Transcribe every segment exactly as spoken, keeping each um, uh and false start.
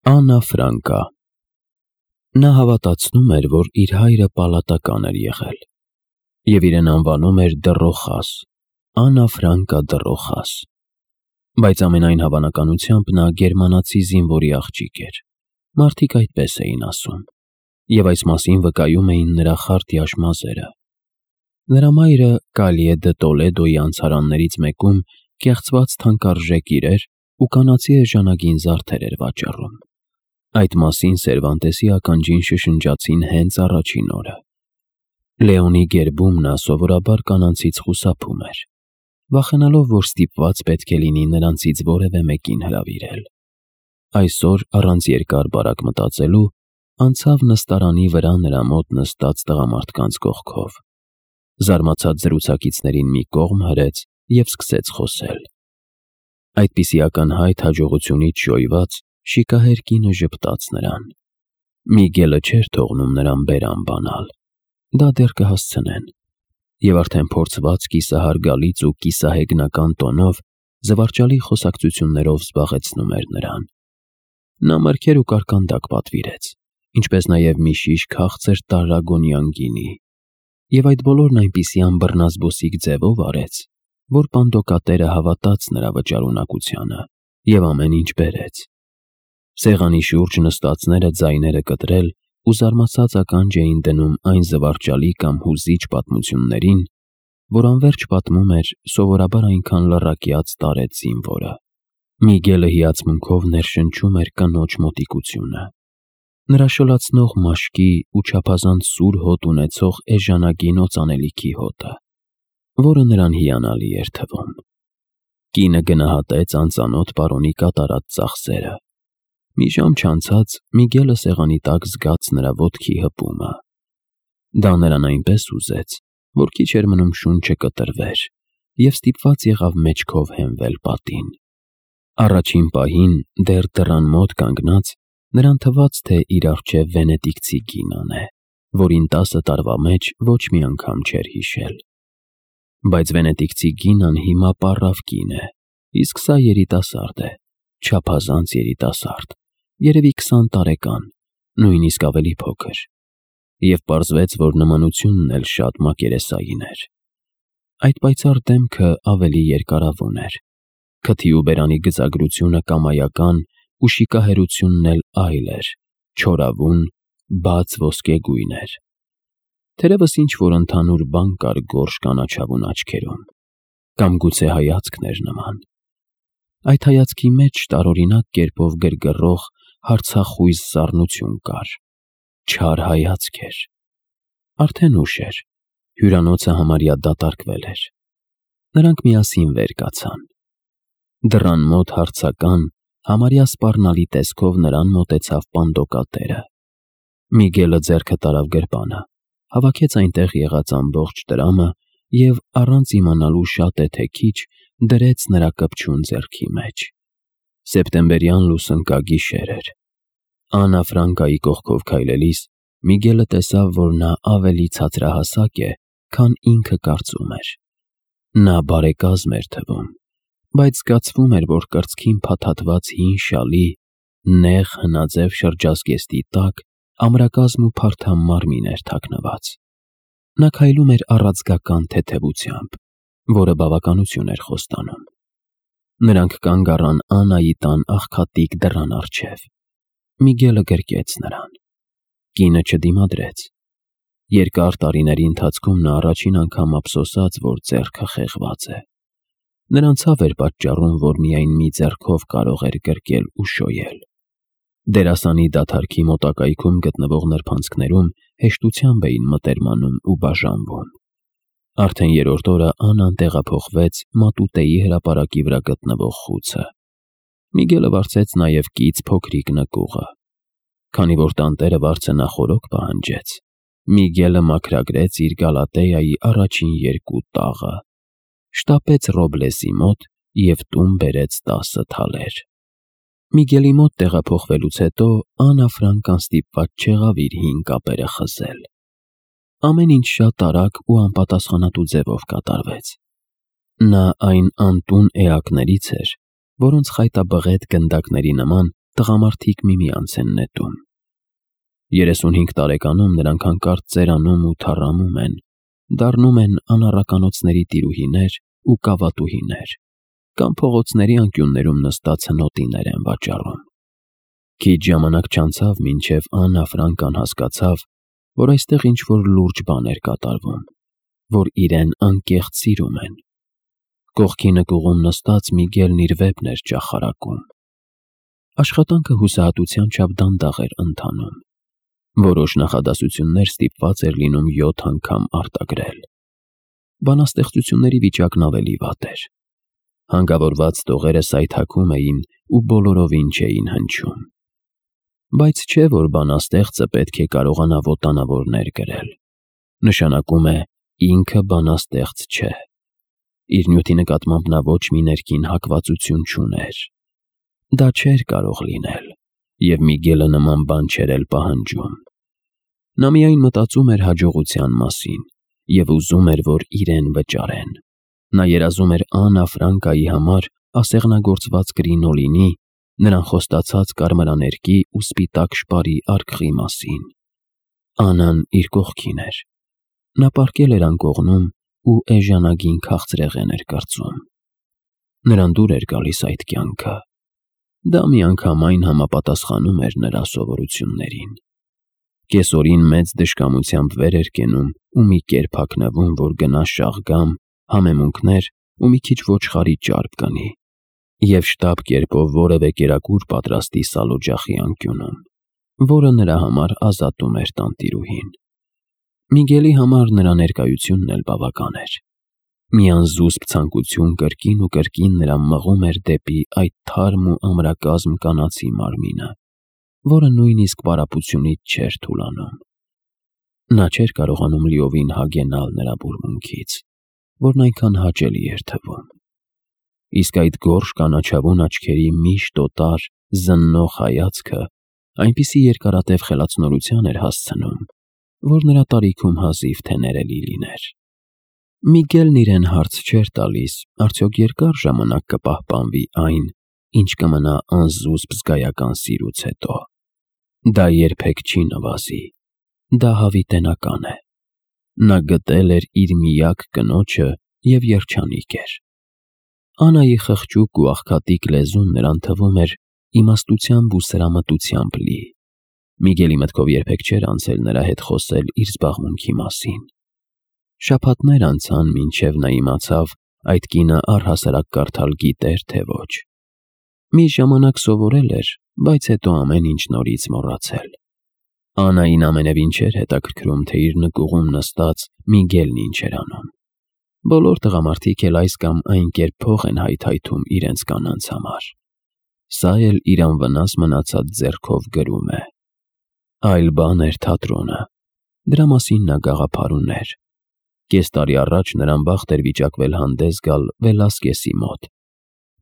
Աննա Ֆրանկա։ Նա հավատացնում էր, որ իր հայրը պալատական էր եղել, և իրեն անվանում էր Դը Ռոխաս, Աննա Ֆրանկա Դը Ռոխաս, բայց ամենայն հավանականությամբ նա գերմանացի զինվորի աղջիկ էր, մարդիկ այդպես էին ասում, և այս մասին վկայում էին նրա խարտյաշ մազերը։ Նրա մայրը Կալիե դը Տոլեդոյի անցարաններից մեկում կեղծված թանկարժեք իրեր ու կանացի էժանագին զարդեր էր վաճառում։ Այդ մասին Սերվանտեսի ականջին շշնջացին հենց առաջին օրը։ Լեոնի գերբում նա սովորաբար կանանցից խուսափում էր, վախենալով, որ ստիպված պետք է լինի նրանցից որևէ մեկին հրավիրել։ Այսօր, առանց երկար բարակ մտածելու, անցավ նստարանի վրա նրա մոտ նստած տղամարդկանց կողքով, զարմացած զրուցակիցներին մի կողմ հրեց և սկսեց խոսել։ Այդպիսի ակնհայտ հաջողությունից շոյված, շիկահեր կինը ժպտաց նրան։ Միգելը չէր թողնում նրան բերան բանալ, դա դեռ կհասցնեն, և արդեն փորձված կիսահարգալից ու կիսահեգնական տոնով զվարճալի խոսակցություններով զբաղեցնում էր նրան։ Նա մրգեր ու կարկանդակ պատվիրեց, ինչպես նաև մի շիշ քաղցր տարրագոնյան գինի, և այդ բոլորն այնպիսի անբռնազբոսիկ ձևով արեց, որ պանդոկատերը հավատաց նրա վճարունակությանը և ամեն ինչ բերեց։ Սեղանի շուրջ նստածները ձայները կտրել ու զարմացած ականջ էին դնում այն զվարճալի կամ հուզիչ պատմություններին, որ անվերջ պատմում էր սովորաբար այնքան լռակյաց տարեց զինվորը։ Միգելը հիացմունքով ներշնչում էր կնոջ մոտիկությունը, նրա շլացնող մաշկի ու չափազանց սուր հոտ ունեցող էժանագին օծանելիքի հոտը, որը նրան հիանալի էր թվում։ Կինը գնահատեց անծանոթ պարոնի կատարած ծախսերը։ Մի ժամ չանցած Միգելը սեղանի տակ զգաց նրա ոտքի հպումը։ Դա նրան այնպես ուզեց, որ քիչ էր մնում շունչը կտրվեր, և ստիպված եղավ մեջքով հենվել պատին։ Առաջին պահին, դեռ դռան մոտ կանգնած, նրան թվաց, թե իր առջև վենետիկցի կինն է, որին տասը տարվա մեջ ոչ մի անգամ չէր հիշել։ Բայց վենետիկցի կինն հիմա պառավ կին է, իսկ սա երիտասարդ է, չափազանց երիտասարդ, երևի քսան տարեկան, նույնիսկ ավելի փոքր, և պարզվեց, որ նմանությունն էլ շատ մակերեսային էր։ Այդ պայծառ դեմքը ավելի երկարավուն էր, քթի ու բերանի գծագրությունը կամայական ու շիկահերությունն էլ այլ էր, չորավուն, բաց ոսկեգույն էր։ Թերևս ինչ-որ ընդհանուր բան կար գորշ կանաչավուն աչքերում, կամ գուցե հայացքն էր նման։ Այդ հայացքի մեջ տարօրինակ կերպով գրգռող հարցախույզ սառնություն կար, չար հայացք էր։ Արդեն ուշ էր, հյուրանոցը համարյա դատարկվել էր։ Նրանք միասին վեր կացան։ Դռան մոտ հարցական, համարյա սպառնալի տեսքով նրան մոտեցավ պանդոկատերը։ Միգելը ձեռքը տարավ գրպանը, հավաքեց այնտեղ եղած ամբողջ տրամը և, առանց իմանալու շատ է թե քիչ, դրեց նրա կպչուն ձեռքի մեջ։ Սեպտեմբերյան լուսնկագիշեր էր։ Աննա Ֆրանկայի կողքով քայլելիս Միգելը տեսավ, որ նա ավելի ցածրահասակ է, քան ինքը կարծում էր։ Նա բարեկազմ էր թվում, բայց զգացվում էր, որ կրծքին փաթաթված հին շալի, նեղ հնաձև շրջազգեստի տակ ամրակազմ ու փարթամ մարմին էր թաքնված։ Նա քայլում էր առաձգական թեթևությամբ, որը բավականություն էր խոստանում։ Նրանք կանգ առան Աննայի տան աղքատիկ դռան առջև։ Միգելը գրկեց նրան։ Կինը չդիմադրեց։ Երկար տարիների ընթացքում նա առաջին անգամ ափսոսաց, որ ձեռքը խեղված է։ Նրան ցավ էր պատճառում, որ միայն մի ձեռքով կարող էր գրկել ու շոյել։ Դերասանի դադարքի մոտակայքում գտնվող նրբանցքներում հեշտությամբ էին մտերմանում ու բաժանվում։ Արդեն երրորդ օրը Աննան տեղափոխվեց Մատուտեի հրապարակի վրա գտնվող խուցը։ Միգելը վարձեց նաև կից փոքրիկ նկուղը։ Քանի որ տանտերը վարձը նախօրոք պահանջեց, Միգելը մաքրագրեց իր Գալատեայի առաջին երկու տաղը, շտապեց Ռոբլեսի մոտ և տուն բերեց տասը թալեր։ Միգելի մոտ տեղափոխվելուց հետո Աննա Ֆրանկան ստիպված չեղավ իր հին կապերը խզել։ Ամեն ինչ շատ արագ ու անպատասխանատու ձևով կատարվեց։ Նա այն անտուն էակներից էր, որոնց խայտաբղետ գնդակների նման տղամարդիկ միմյանց են նետում։ երեսունհինգ տարեկանում նրանք հանկարծ ծերանում ու թառամում են, դառնում են անառականոցների տիրուհիներ ու կավատուհիներ, կամ փողոցների անկյուններում նստած հնոտիներ են վաճառում։ Քիչ ժամանակ չանցավ, մինչև Աննա Ֆրանկան հասկացավ, որ այստեղ ինչ-որ լուրջ բան էր կատարվում, որ իրեն անկեղծ սիրում են։ Կողքի նկուղում նստած Միգելն իր վեպն էր ճախարակում։ Աշխատանքը հուսահատության չափ դանդաղ էր ընթանում։ Որոշ նախադասություններ ստիպված էր լինում յոթ անգամ արտագրել։ Բանաստեղծությունների վիճակն ավելի վատ էր։ Հանգավորված տողերը սայթաքում էին ու բոլորովին չէին հնչում։ Բայց չէ, որ բանաստեղծը պետք է կարողանա ոտանավորներ գրել։ Նշանակում է ինքը բանաստեղծ չէ։ Իր նյութի նկատմամբ նա ոչ մի ներքին հակվածություն չուներ։ Դա չէր կարող լինել, և Միգելը նման բան չէր էլ պահանջում։ Նա միայն մտածում էր հաջողության մասին և ուզում էր, որ իրեն վճարեն։ Նա երազում էր Աննա Ֆրանկայի համար ասեղնագործված կրինոլինի, նրան խոստացած կարմրաներկի ու սպիտակ շպարի արկղի մասին։ Աննան իր կողքին էր։ Նա պառկել էր անկողնում ու էժանագին քաղցրեղեն էր կրծում։ Նրան դուր էր գալիս այդ կյանքը։ Դա միանգամայն համապատասխանում էր նրա սովորություններին։ Կեսօրին մեծ դժկամությամբ վեր էր կենում ու մի կերպ հագնվում, որ գնա շաղգամ, համեմունքներ ու մի քիչ ոչխարի ճարպ կնի, և շտապ կերպով որևէ կերակուր պատրաստի սալօջախի անկյունում, որը նրա համար ազատում էր տանտիրուհին։ Միգելի համար նրա ներկայությունն էլ բավական էր։ Մի անզուսպ ցանկություն կրկին ու կրկին նրան մղում էր դեպի այդ թարմ ու ամրակազմ կանացի մարմինը, որը նույնիսկ պարապությունից չէր թուլանում։ Նա չէր կարողանում լիովին հագենալ նրա բուրմունքից, որն այնքան հաճելի էր թվում։ Իսկ այդ գորշ կանաչավուն աչքերի միշտ օտար, զննող հայացքը այնպիսի երկարատև խելացնորության էր հասցնում, որ նրա տարիքում հազիվ թե ներելի լիներ։ Միգելն իրեն հարց չէր տալիս, արդյոք երկար ժամանակ կպահպանվի այն, ինչ կմնա անզուսպ զգայական սիրուց հետո։ Դա երբեք չի նվազի։ Դա հավիտենական է։ Նա գտել էր իր միակ կնոջը և երջանիկ էր։ Աննայի խղճուկ ու աղքատիկ լեզուն նրան թվում էր իմաստությամբ ու սրամտությամբ լի։ Միգելի մտքով երբեք չէր անցել նրա հետ խոսել իր զբաղմունքի մասին։ Շաբաթներ անցան, մինչև նա իմացավ այդ կինը առհասարակ կարդալ գիտեր, թե ոչ։ Մի ժամանակ սովորել էր, բայց հետո ամեն ինչ նորից մոռացել։ Աննային ամենևին չէր հետաքրքրում, թե իր նկուղում նստած Միգելն ինչ էր անում։ Բոլոր տղամարդիկ էլ այս կամ այն կերպ փող են հայթայթում իրենց կանանց համար։ Սա էլ իր անվնաս մնացած ձեռքով գրում է։ Այլ բան էր թատրոնը։ Դրա մասին նա գաղափար ուներ։ Կես տարի առաջ նրան բախտ էր վիճակվել հանդես գալ Վելասկեսի մոտ։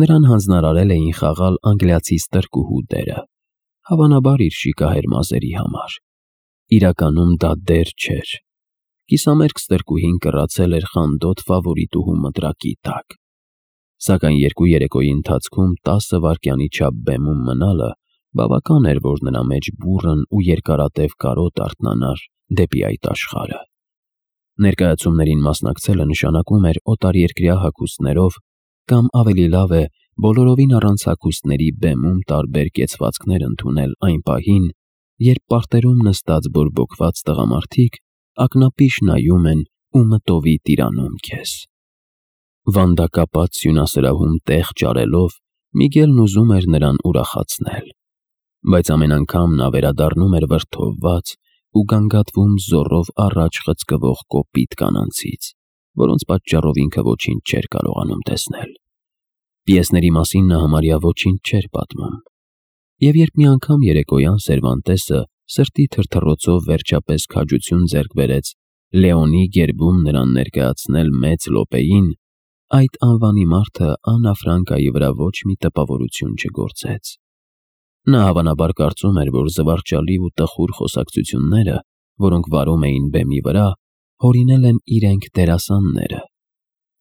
Նրան հանձնարարել էին խաղալ անգլիացի ստրկուհու դերը, հավանաբար իր շիկահեր մազերի համար։ Իրականում դա դեր չէր։ Կիսամերկ ստրկուհին կռացել էր խանդոտ ֆավորիտուհու մտրակի տակ։ Սակայն երկու երեկոյի ընթացքում տասը վայրկյանի չափ բեմում մնալը բավական էր, որ նրա մեջ բուռն ու երկարատև կարոտ արթնանար դեպի այդ աշխարհը։ Ներկայացումներին մասնակցելը նշանակում էր օտարերկրյա հագուստներով կամ ավելի լավ է բոլորովին առանց հագուստների բեմում տարբեր կեցվածքներ ընդունել այն պահին, երբ պարտերում նստած բորբոքված տղամարդիկ ակնապիշ նայում են ու մտովի տիրանում քեզ։ Վանդակապած սյունասրահում տեղ ճարելով Միգելն ուզում էր նրան ուրախացնել, բայց ամեն անգամ նա վերադառնում էր վրդովված ու գանգատվում զոռով առաջ խցկվող կոպիտ կանանցից, որոնց պատճառով ինքը ոչինչ չէր կարողանում տեսնել։ Պիեսների մասին նա համարյա ոչինչ չէր պատմում։ Եվ երբ մի անգամ երեկոյան Սերվանտեսը սրտի թրթռոցով վերջապես քաջություն ձեռք բերեց Լեոնի գերբում նրան ներկայացնել մեծ լոպեին, այդ անվանի մարդը Աննա Ֆրանկայի վրա ոչ մի տպավորություն չգործեց։ Նա հավանաբար կարծում էր, որ զվարճալի ու տխուր խոսակցությունները, որոնք վարում էին բեմի վրա, հորինել են իրենք դերասանները։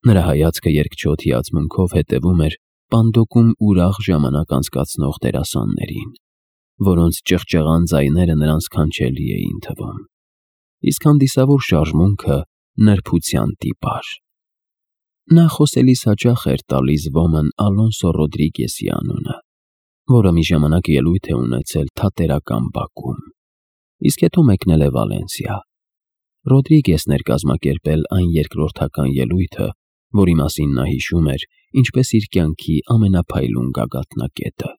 Նրա հայացքը երկչոտ հիացմունքով հետևում էր պանդոկում ուրախ ժամանակ անցկացնող դերասաններին, որոնց ճղճղան ձայները նրան սքանչելի էին թվում, իսկ հանդիսավոր շարժմունքը նրբության տիպար։ Նա խոսելիս հաճախ էր տալիս ոմն Ալոնսո Ռոդրիգեսի անունը, որը մի ժամանակ ելույթ է ունեցել թատերական բակում, իսկ հետո մեկնել է Վալենսիա։ Ռոդրիգեսն էր կազմակերպել այն երկրորդական ելույթը, որի մասին նա հիշում էր, ինչպես իր կյանքի ամենափայլուն գագաթնակետը։